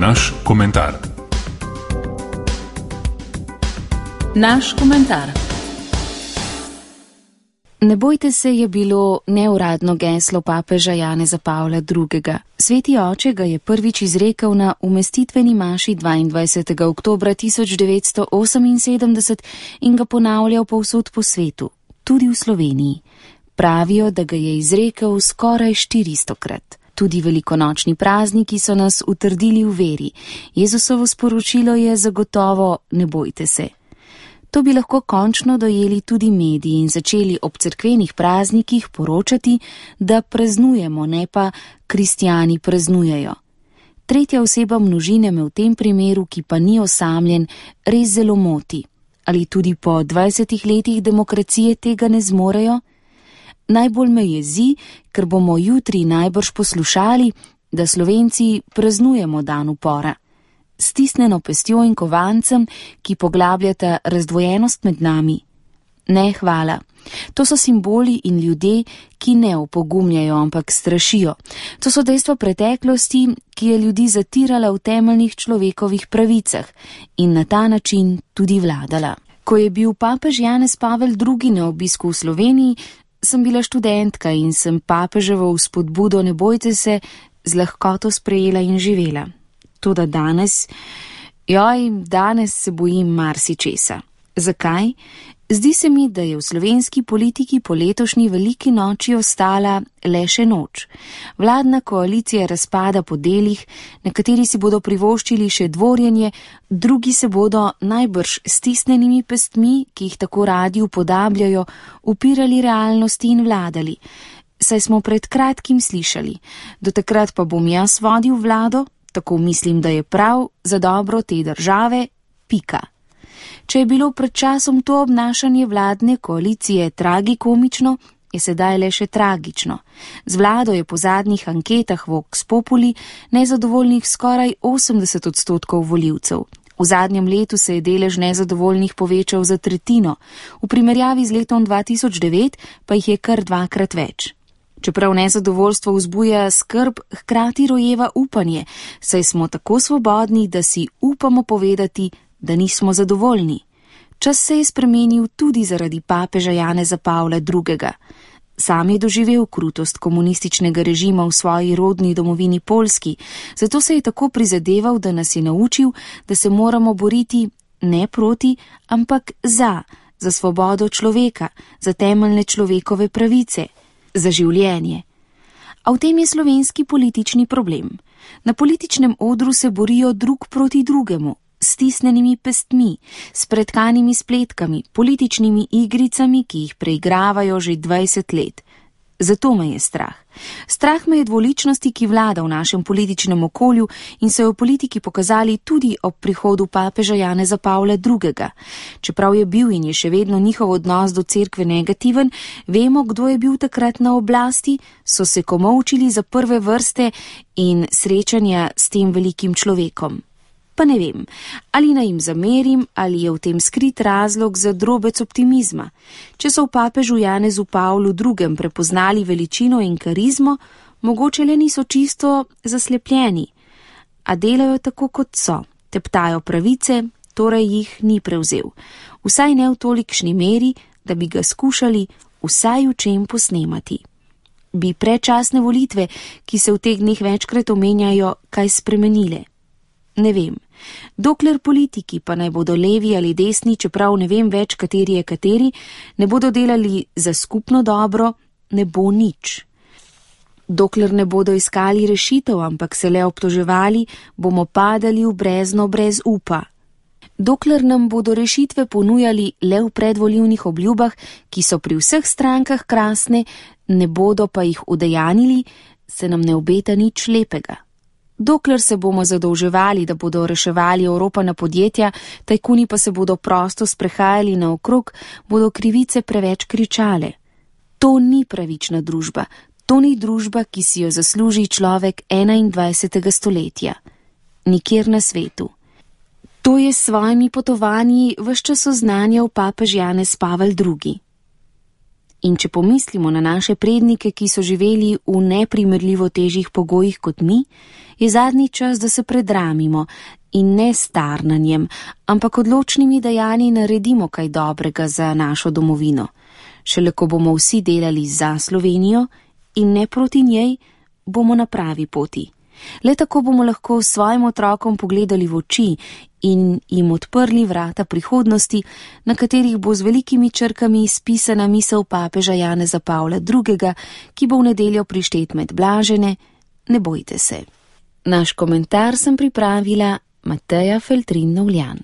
naš komentar. Naš komentar. Ne bojte se je bilo neuradno geslo papeža Janeza Pavla II. Sveti oče ga je prvič izrekel na umestitveni maši 22. oktobra 1978 in ga ponavljal povsod po svetu, tudi v Sloveniji. Pravijo, da ga je izrekel skoraj 400krat. Tudi velikonočni prazniki so nas utrdili v veri. Jezusovo sporočilo je zagotovo: ne bojte se. To bi lahko končno dojeli tudi mediji in začeli ob cerkvenih praznikih poročati, da praznujemo, ne pa kristjani praznujejo. Tretja oseba množine me v tem primeru, ki pa ni osamljen, res zelo moti. Ali tudi po 20 letih demokracije tega ne zmorejo? Najbolj me jezi, ker bomo jutri najbrž poslušali, da Slovenci praznujemo dan upora. Stisnjeno pestjo in kovancem, ki poglabljata razdvojenost med nami. Ne, hvala. To so simboli in ljudje, ki ne opogumljajo, ampak strašijo. To so dejstva preteklosti, ki je ljudi zatirala v temeljnih človekovih pravicah in na ta način tudi vladala. Ko je bil papež Janez Pavel II. Na obisku v Sloveniji, sem bila študentka in sem papeževo vzpodbudo ne bojte se z lahkoto sprejela in živela. Toda danes se bojim marsičesa. Zakaj? Zdi se mi, da je v slovenski politiki po letošnji veliki noči ostala le še noč. Vladna koalicija razpada po delih, nekateri si bodo privoščili še dvorjenje, drugi se bodo najbrž stisnjenimi pestmi, ki jih tako radi upodabljajo, upirali realnosti in vladali. Saj smo pred kratkim slišali: do takrat pa bom jaz vodil vlado, tako mislim, da je prav za dobro te države, pika. Če je bilo pred časom to obnašanje vladne koalicije tragikomično, je sedaj le še tragično. Z vlado je po zadnjih anketah Vox Populi nezadovoljnih skoraj 80% volivcev. V zadnjem letu se je delež nezadovoljnih povečal za tretjino, v primerjavi z letom 2009 pa jih je kar 2krat več. Čeprav nezadovoljstvo vzbuja skrb, hkrati rojeva upanje, saj smo tako svobodni, da si upamo povedati, da nismo zadovoljni. Čas se je spremenil tudi zaradi papeža Janeza Pavla II. Sam je doživel krutost komunističnega režima v svoji rodni domovini Poljski, zato se je tako prizadeval, da nas je naučil, da se moramo boriti ne proti, ampak za svobodo človeka, za temeljne človekove pravice, za življenje. A v tem je slovenski politični problem. Na političnem odru se borijo drug proti drugemu, s stisnjenimi pestmi, s pretkanimi spletkami, političnimi igricami, ki jih preigravajo že 20 let. Zato me je strah. Strah me je dvoličnosti, ki vlada v našem političnem okolju in so jo v politiki pokazali tudi ob prihodu papeža Janeza Pavla II. Čeprav je bil in je še vedno njihov odnos do cerkve negativen, vemo, kdo je bil takrat na oblasti, so se komolčili za prve vrste in srečanja s tem velikim človekom. Pa ne vem, ali naj jim zamerim, ali je v tem skrit razlog za drobec optimizma. Če so v papežu Janezu Pavlu II. Prepoznali veličino in karizmo, mogoče le niso čisto zaslepljeni, a delajo tako, kot so, teptajo pravice, torej jih ni prevzel. Vsaj ne v tolikšni meri, da bi ga skušali vsaj v čem posnemati. Bi predčasne volitve, ki se v teh dneh večkrat omenjajo, kaj spremenile? Ne vem. Dokler politiki, pa naj bodo levi ali desni, čeprav ne vem več, kateri je kateri, ne bodo delali za skupno dobro, ne bo nič. Dokler ne bodo iskali rešitev, ampak se le obtoževali, bomo padali v brezno brez upa. Dokler nam bodo rešitve ponujali le v predvolilnih obljubah, ki so pri vseh strankah krasne, ne bodo pa jih udejanili, se nam ne obeta nič lepega. Dokler se bomo zadolževali, da bodo reševali Evropana podjetja, tajkuni pa se bodo prosto sprehajali naokrog, bodo krivice preveč kričale. To ni pravična družba, to ni družba, ki si jo zasluži človek 21. stoletja. Nikjer na svetu. To je s svojimi potovanji ves čas oznanjal papež Janez Pavel II. In če pomislimo na naše prednike, ki so živeli v neprimerljivo težjih pogojih kot mi, je zadnji čas, da se predramimo in ne s tarnanjem, ampak odločnimi dejanji naredimo kaj dobrega za našo domovino. Šele ko bomo vsi delali za Slovenijo in ne proti njej, bomo na pravi poti. Le tako bomo lahko svojim otrokom pogledali v oči in jim odprli vrata prihodnosti, na katerih bo z velikimi črkami spisana misel papeža Janeza Pavla II., ki bo v nedeljo prištet med blažene: ne bojte se. Naš komentar sem pripravila Mateja Feltrin Novljan.